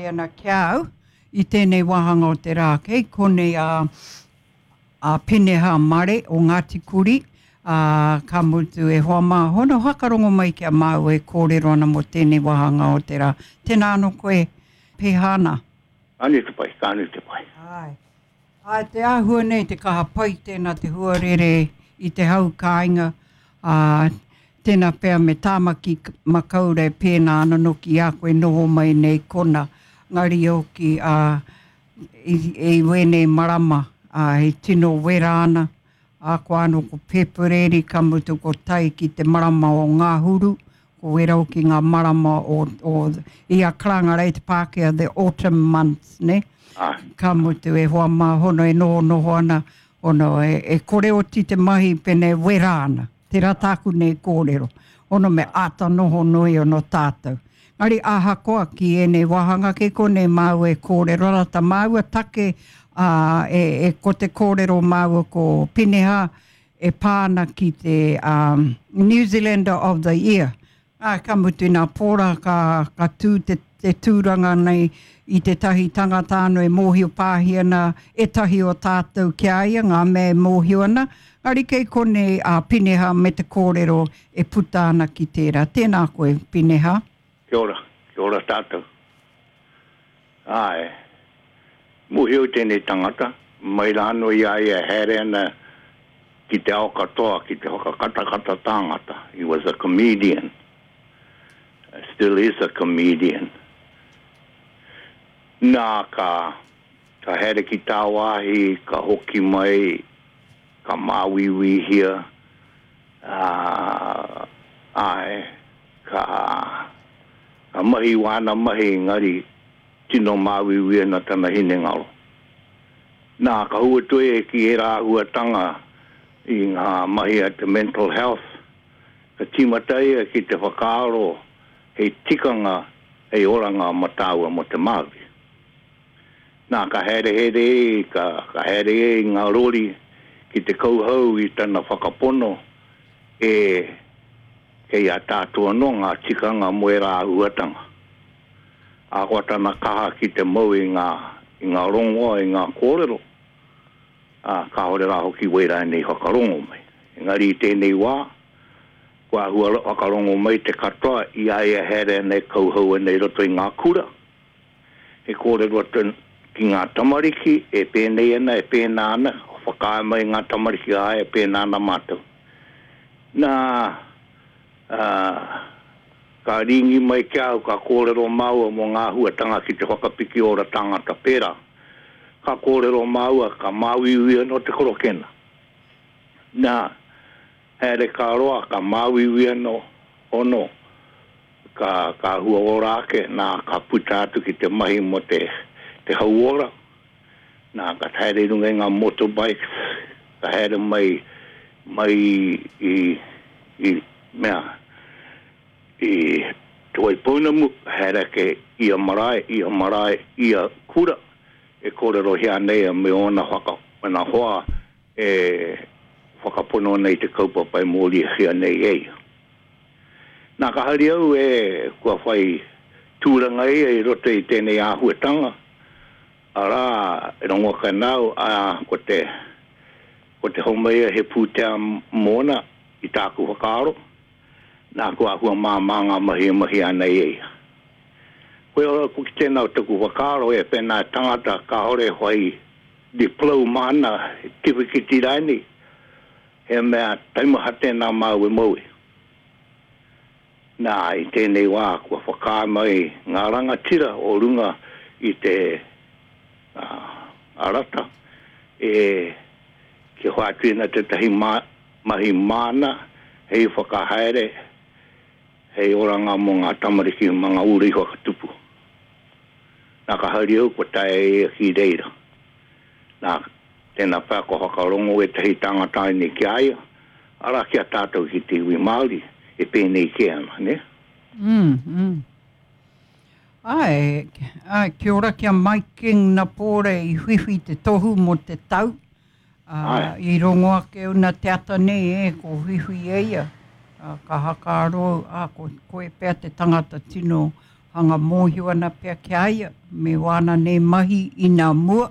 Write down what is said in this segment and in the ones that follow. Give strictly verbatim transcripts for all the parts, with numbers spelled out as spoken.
Ana ki a au i tēnei wāhanga o te rā. Kei konei a, a Peneha Mare o Ngāti Kuri, ā, ka mutu e hoa mā, hono whakarongo mai ki a māua e kōrero ana mō tēnei wāhanga o te rā. Tēnā anō koe, pēhā ana? Ka nui te pai, ka nui te pai. Āe. Āe, te āhua nei, te kaha pai tēnā te huarere i te hau kāinga, ā, tēnā pea me Tāmaki Makaurau e pēnā ana noki i a koe noho mai nei kona, ngari hoki, ā, i, i wēnei marama, ā, he tino wera ana, ā, ko anō ko Pēpuere, ka mutu ko tae ki te marama o Ngahuru, ko wera hoki ngā marama o, o, i a karanga rei te Pākehā, the autumn months, ne? Āe. Ka mutu e hoa mā hono e noho noho ana, hono e, e kore oti te mahi pene wera ana. Tērā tāku nei kōrero. Hono me āta noho nui ono tātou. Ngari ahakoa ki ēnei wāhanga kei konei māua e kōrero ana tā māua take, ā, e, e ko te kōrero māua ko Pineha e pā ana ki te um, New Zealander of the Year. Ā, ka mutu nā Pōra ka, ka tū te, te tūranga nei i tētahi tangata anō e mōhio pāhi ana ētahi o tātou ki a ia, ngā mea e mōhio ana. Engari kei konei a Pineha me te kōrero e puta ana ki tērā. Tēnā koe, Pineha. Kia ora, kia ora tātou. Āe, mōhio tēnei tangata, mai rā anō i a ia e haere ana ki te ao katoa ki te whakakatakata tāngata. He was a comedian. Still is a comedian. Nā, ka, ka haere ki tāwāhi, ka hoki mai, ka māuiuihia, ā, āe, ka, ka mahi wāna mahi engari tino māuiui ana tana hinengaro. Nā, ka hua toe ki ērā āhuatanga i ngā mahi a te mental health, ka tīmata ia ki te whakaaro hei tikanga, hei oranga mā tāua mō te Māori. Nā, ka haerehere ei, ka, ka haere ei ngā rori ki te kauhau i tana whakapono e kei a tātou anō ngā tikanga mō ērā āhuatanga. Ahakoa tana kaha ki te mau i ngā, i ngā rongoa, i ngā kōrero, ā, kāore rā hoki wērā nei whakarongo mai. Engari i tēnei wā, kua āhua whakarongo mai te katoa i a ia haere ana e kauhau ana i roto i ngā kura. He kōrero atu ki ngā tamariki e pēnei ana, e pēnā ana, whakaae mai ngā tamariki, āe, e pēnā ana mātou. Nā, ā, ka rīngi mai ki a au, ka kōrero māua mō ngā āhuatanga ki te whakapiki ora tāngata pērā. Ka kōrero māua, ka māuiui anō te korokena. Nā, haere ka roa, ka māuiui anō, ono, ka, ka hua ora ake, nā, ka puta atu ki te mahi mō te, te hauora. Nā, ka haere i runga i ngā motorbikes, ka haere mai, mai i, i, mea, i Te Waipounamu, ka haere ake ia marae, ia marae, ia kura, e kōrerohia ana ia me ōna whaka, ōna hoa e whakapono ana i te kaupapa e mōriahia nei e ia. Nā, ka hari au e kua whai tūranga ia i roto i tēnei āhuatanga, arā, e rongo ake ana au, ā, ko te, ko te homai ia he pūtea mōna i tāku whakaaro, nā, kua āhua māmā ngā mahi e mahia ana e ia. Koia hoki tēnā o taku whakaaro e pēnā tangata kāore e whai diploma ana, tiwhikiti rānei, he mea taumaha tēnā māu e mau e. Nā, i tēnei wā kua whakaae mai ngā rangatira o runga i te rata e kia whātuina tētahi mahi māna hei whakahaere, hei oranga mō ngā tamariki mā ngā uri whakatupu. Nā, ka hari au kua taea e ia ki reira. Nā, tēnā pea kua whakarongo ētahi tāngata ānei ki a ia, arā, ki a tātou ki te iwi Māori, e pēnei kē ana, nē? Mm, mm. Āe, āe, kia ora ki a Mike King Napore i whiwhi te tohu mō te tau. Ā, Āe. i rongo ake au nā te ata nei, e, ko whiwhi e ia. Ā, ka hakaaro au, ā, ko koe pea te tangata tino hanga mōhio ana pea ki a ia, me wāna nei mahi i nā mua.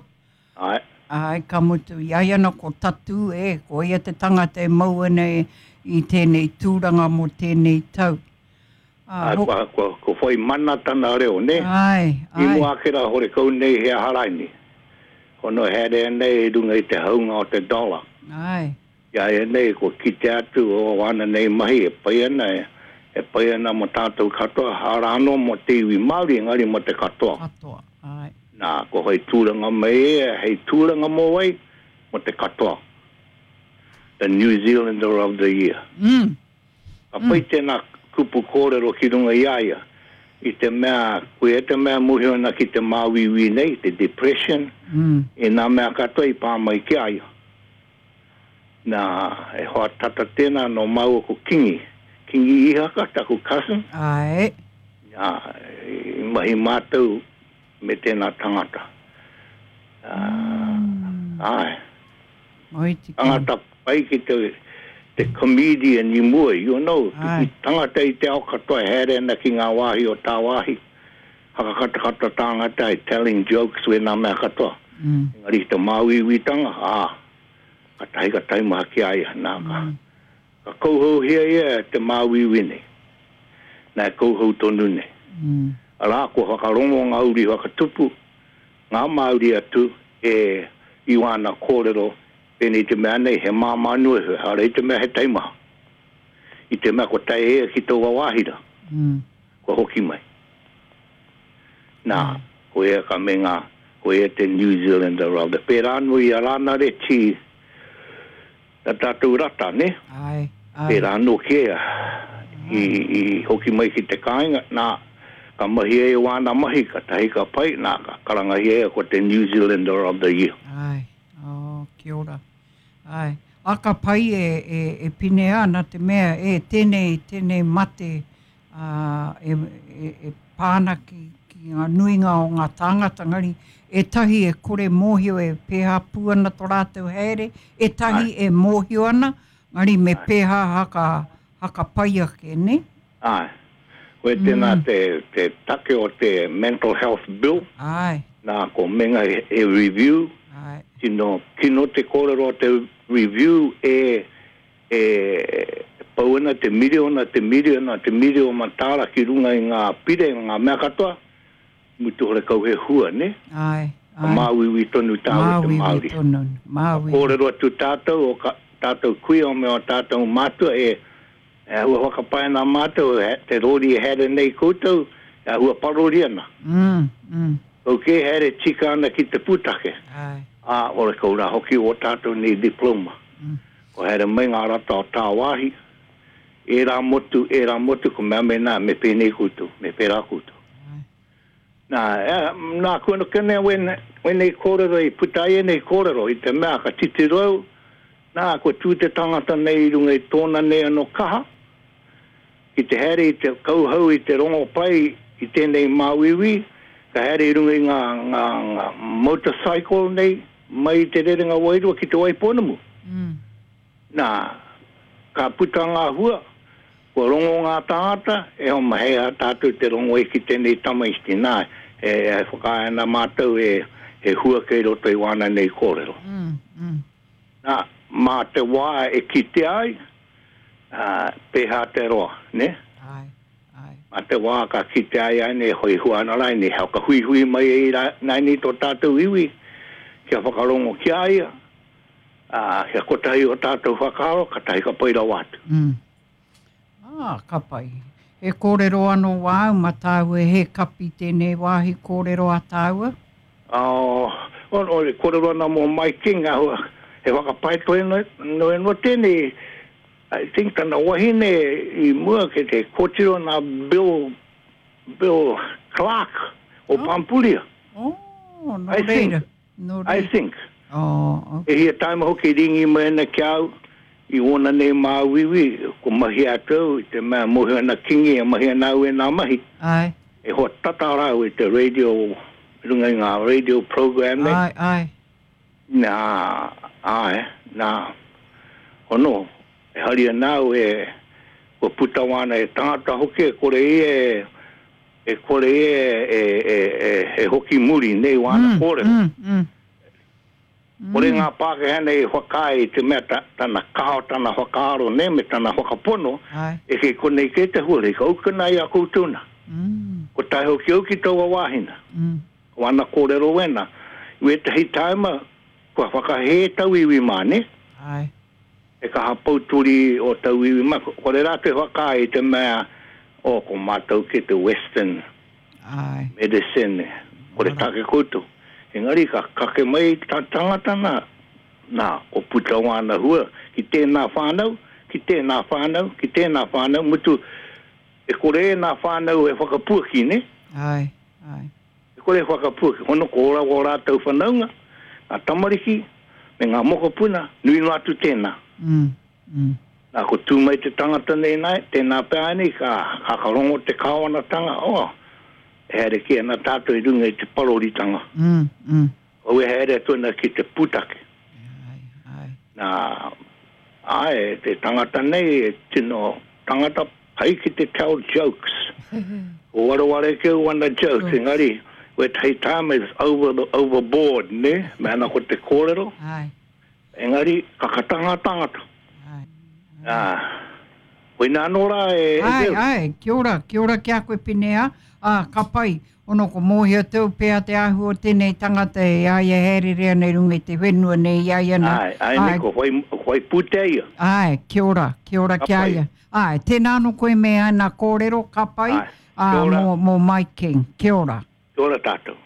Ai. Ai, ka mutu i ai ana ko tatu e, ko ia te tangata e mau ana e, i tēnei tūranga mō tēnei tau. Ah, ho... kua, kua, kua whai mana tana reo, ne? Ai, ai. I mua ake rā hore kau nei he aharaini. Kono haere nei i runga i te haunga o te dollar. Ai. Ia e nei, kua kite atu o wana nei mahi e pai ana, e, e pai ana mo tātou katoa, hara anō mo te iwi Māori, engari mo te katoa. Katoa, ai. Nā, ko hei tūranga mai e, hei tūranga mō wai, mo te katoa. The New Zealander of the Year. Mm. Ka pai mm. tēnā kupu kōrero ki runga i a ia, i te mea, koe e te mea mōhio ana ki te māuiui nei, te depression, mm. e nā mea katoa i pā mai ki a ia. Nā, e hoa tata tēnā no māua ko Kingi. Kingi Ihaka, taku cousin. Ai. Nā, i mahi mātou me tēnā tangata. Mm. Ai. Moi te Tangata pai ki te, te comedian i mua, you know. Ai. Tangata i te ao katoa e haere ana ki ngā wāhi o tāwāhi. Hakakatakata tāngata e telling jokes we nā mea katoa. Mm. Engari te māuiuitanga, ā, ka tahi ka taimaha ki a ia, nā ka. Mm. Ka kauhauhia ia te māuiui nei. Nā e kauhau tonu nei. Mm. Arā, kua whakarongo ngā uri whakatupu, ngā Māori atu e i wāna kōrero, pēnei te mea nei, he māmā nui, hara i te mea he taimaha. I te mea kua tae ea ki tō wāhira, mm. kua hoki mai. Nā, mm. ko ea ka me ngā, ko ea te New Zealander of the. Pērā anō i a Rāna Reti, tā tātou rata, ne? Ai, ai. Pērā anō ki ea, i, i hoki mai ki te kāinga, nā, ka mahi e wāna mahi, ka tahi ka pai, nā, ka karangahia ea ko te New Zealander of the Year. Ai, oh, kia ora. Ai, a ka pai e, e, e pine ana te mea, e tēnei, tēnei mate uh, e, e, e pāna ki, ki ngā nuinga o ngā tāngata, ngari, e tahi e kore mōhio e pēhā pū ana tō rātou haere, e tahi Ai. e mōhio ana, ngari me Ai. pēhā haka, haka pai ake, ne? Ai. Koe tēnā mm. te, te take o te Mental Health Bill. Ai. Nā, ko menga e, e review. Ai. Tino, kino te kōrero o te review e, e pau ana te miriona, te miriona, te miriona tāra ki runga i ngā pire, ngā mea katoa. Mutu hore kau he hua, ne? Ai. Ai. Māuiui tonu tāu te Māori. Māuiui tonu, māuiui. Kōrero atu tātou, o ka, tātou kuia o me o tātou mātua e e hua whakapae nā mātou, te rori e haere nei koutou, e hua parori ana. Mm, mm. Kau ke haere tika ana ki te pūtake. Ai. Ā, ore kau rā hoki o tātou nei diploma. Mm. Ko haere mai ngā rata o tāwāhi, e rā motu, e rā motu, ko mea me nā, me pēnei koutou, me pērā koutou. Ai. Nā, e, nā, kua no kene wene, wene kōrero i puta ai nei kōrero, i te mea ka titiro au, nā, kua tū te tangata nei i runga i tōna nei anō kaha, ki te haere i te kauhau i te rongo pai i tēnei māuiui, ka haere i runga i ngā, ngā, ngā motorcycle nei, mai i te rerenga wairua ki te Waipounamu. Mm. Nā, ka puta ngā hua, kua rongo ngā tāngata, e homa hei a tātou te rongo e ki tēnei tamaiti. Nā, e, e whakae ana mātou e, e hua kei roto i wāna nei kōrero. Mm, mm. Nā, mā te wā e kite ai, uh, pēhā te roa, ne? Ai, ai. Mā te wā ka kite ai ai nei, hoi hua ana rai nei, hau ka hui hui mai e rā, nei nei tō tātou iwi, kia whakarongo ki a ia, uh, kia kotahi o tātou whakaaro, ka tahi ka pai rawa atu. Mm. Ah, ka pai. He kōrero anō wāu, ma tāua he kapi tēnei wāhi kōrero a tāua? Oh, o, o, kōrero ana mō Mike King, ahua, he whakapai toe no, no, no tēnei, I think tana wahine i mua ke te kōtiro nā Bill, Bill Clark o Oh. Pampuria. Oh, no I think. reira. No I reira. think. Oh, E hia taima hoki ringi mai ana ki au, i ōna nei māuiui, ko mahi atu, i te mea mohi ana kingi, e mahi ana au e nā mahi. ai, E hoa tata rau i te radio, i runga i ngā radio program nei. ai, ai. Nā, ai, nā, ono, e hari anau e, kua puta wāna e tangata hoki, e kore i e, E kore e, e, e, e, e hoki muri nei wāna Mm, kōrero. mm, mm. Kore ngā Pākehā nei whakaae i te mea ta, tana kaha, tana whakaaro nei, me tana whakapono, Ai. e kei konei kē te huarahi, ka ukuna i a koutou nā. Mm, Ko tae hoki au ki taua wāhina. mm. Ko ana kōrero wena. I wētahi taima, kua whakahē tauiwi mā, ne? Ai. E kaha pouturi o tauiwi mā. Kore rātou e whakaae i te mea, oh, ko mātou ki te Western Ai. medicine, kore take koutou. Engari ka kake mai ta tangata nā, nā, ko puta wāna hua, ki tēnā whānau, ki tēnā whānau, ki tēnā whānau, mutu, e kore e nā whānau e whakapuaki, ne? Ai. Ai. E kore e whakapuaki, hono ko ora o rātou whanaunga, ngā tamariki, me ngā mokopuna, nui noa atu tēnā. Mm, mm. Nā, ko tū mai te tangata nei nai, tēnā pea nei, ka, ka karongo te kāwanatanga, oh, e haere ki ana tātou i runga i te paroritanga. Mm, mm. Au e haere atu ana ki te pūtake. Ai, ai. Nā, ai, te tangata nei, e tino tangata pai ki te tell jokes. O wareware ke o ana jokes, engari, wētahi time is over the, overboard, ne? Me ana ko te kōrero, Ai. engari, kakatanga tangata. Ai. Nā, koina anō rā e, e Ai, Bill. ai, kia ora, kia ora ki a koe Pinea. Ah, ka pai, ono ko mōhio tau pea te ahu o tēnei tangata e ai e haerere ana i runga i te whenua nei i ai ana. Ai, ai, nei, ko whai, whai pūtea ia. Ai, kia ora, kia ora Ka ki a pai. ia. Ai, tēnā anō koe me ana kōrero, ka pai, Ai, ah, kia ora. mō, mō Mike King. Kia ora. Kia ora tātou.